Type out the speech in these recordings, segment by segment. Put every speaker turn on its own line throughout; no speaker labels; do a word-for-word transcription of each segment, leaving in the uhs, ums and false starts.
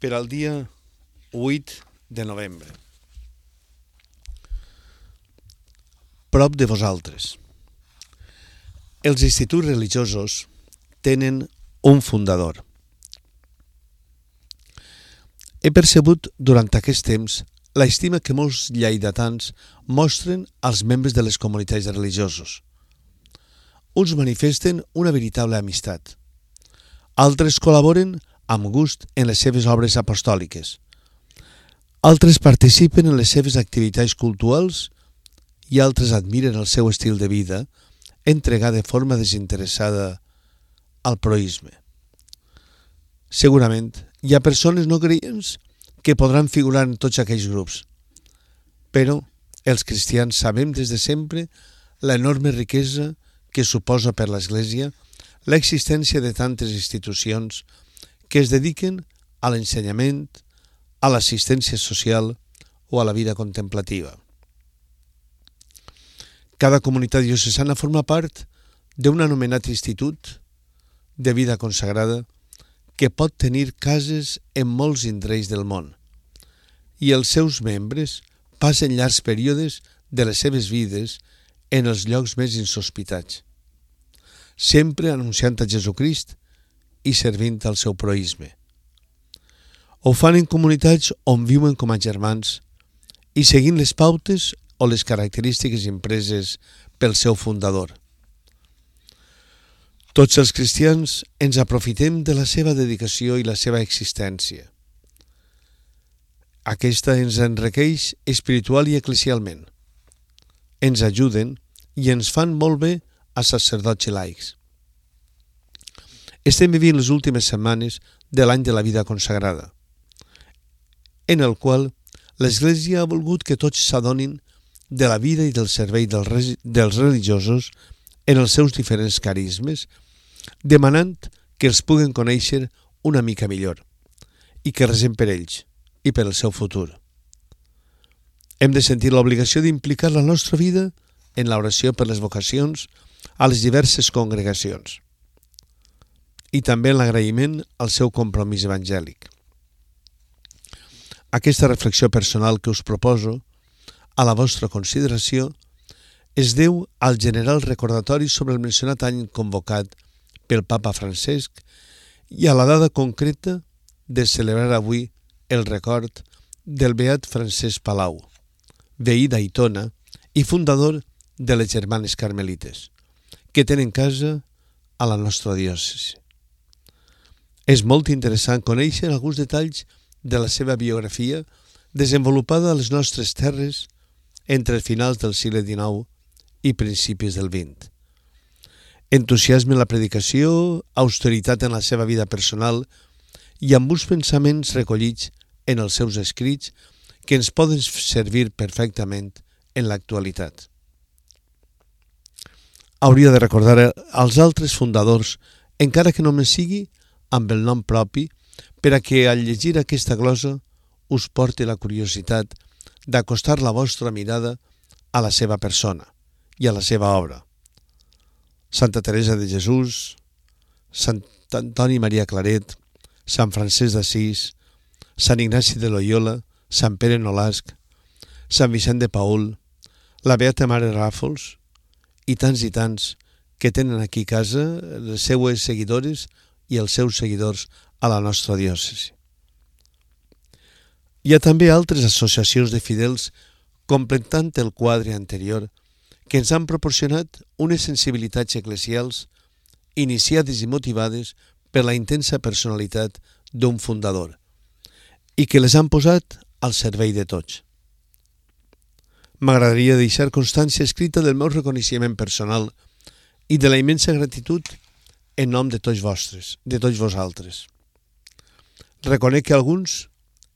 per al dia vuit de novembre. Prop de vosaltres. Els instituts religiosos tenen un fundador. He percebut durant aquest temps l'estima que molts lleidatans mostren als membres de les comunitats religiosos. Uns manifesten una veritable amistat. Altres col·laboren amb gust en les seves obres apostòliques. Altres participen en les seves activitats culturals i altres admiren el seu estil de vida, entregat de forma desinteressada al proïsme. Segurament hi ha persones no creients que podran figurar en tots aquells grups, però els cristians sabem des de sempre l'enorme riquesa que suposa per l'Església l'existència de tantes institucions que es dediquen a l'ensenyament, a l'assistència social o a la vida contemplativa. Cada comunitat diocesana forma part d'un anomenat institut de vida consagrada que pot tenir cases en molts indrets del món i els seus membres passen llargs períodes de les seves vides en els llocs més insospitats, sempre anunciant a Jesucrist i servint al seu proïsme. Ho fan en comunitats on viuen com a germans i seguint les pautes o les característiques impreses pel seu fundador. Tots els cristians ens aprofitem de la seva dedicació i la seva existència. Aquesta ens enriqueix espiritual i eclesialment. Ens ajuden i ens fan molt bé a sacerdots i laics. Estem vivint les últimes setmanes de l'any de la vida consagrada, en el qual l'Església ha volgut que tots s'adonin de la vida i del servei dels religiosos en els seus diferents carismes, demanant que els puguen conèixer una mica millor i que resem per ells i per el seu futur. Hem de sentir l'obligació d'implicar la nostra vida en l'oració per les vocacions a les diverses congregacions i també en l'agraïment al seu compromís evangèlic. Aquesta reflexió personal que us proposo a la vostra consideració es deu al general recordatori sobre el mencionat any convocat pel Papa Francesc i a la data concreta de celebrar avui el record del beat Francesc Palau, veí d'Aitona i fundador de les Germanes Carmelites, que tenen casa a la nostra diòcesi. És molt interessant conèixer alguns detalls de la seva biografia desenvolupada a les nostres terres entre els finals del segle dinou i principis del vint. Entusiasme en la predicació, austeritat en la seva vida personal i amb uns pensaments recollits en els seus escrits que ens poden servir perfectament en l'actualitat. Hauria de recordar als altres fundadors, encara que només sigui amb el nom propi, per a que al llegir aquesta glosa us porti la curiositat d'acostar la vostra mirada a la seva persona i a la seva obra. Santa Teresa de Jesús, Sant Antoni Maria Claret, Sant Francesc d'Assís, Sant Ignasi de Loyola, Sant Pere Nolasc, Sant Vicent de Paül, la Beata Mare Ràfols i tants i tants que tenen aquí a casa les seues seguidores i els seus seguidors a la nostra diòcesi. Hi ha també altres associacions de fidels completant el quadre anterior que ens han proporcionat unes sensibilitats eclesials iniciades i motivades per la intensa personalitat d'un fundador i que les han posat al servei de tots. M'agradaria deixar constància escrita del meu reconeixement personal i de la immensa gratitud en nom de tots vostres, de tots vosaltres. Reconec que alguns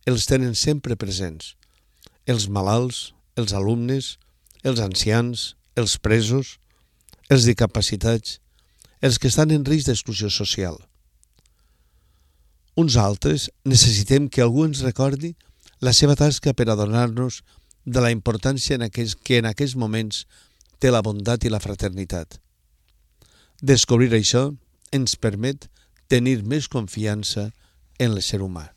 els tenen sempre presents, els malalts, els alumnes, els ancians, els presos, els discapacitats, els que estan en risc d'exclusió social. Uns altres necessitem que algú ens recordi la seva tasca per adonar-nos de la importància en aquest, que en aquests moments té la bondat i la fraternitat. Descobrir això ens permet tenir més confiança en l'ésser humà.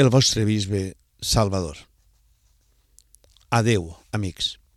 el vostre bisbe Salvador. Adeu, amics.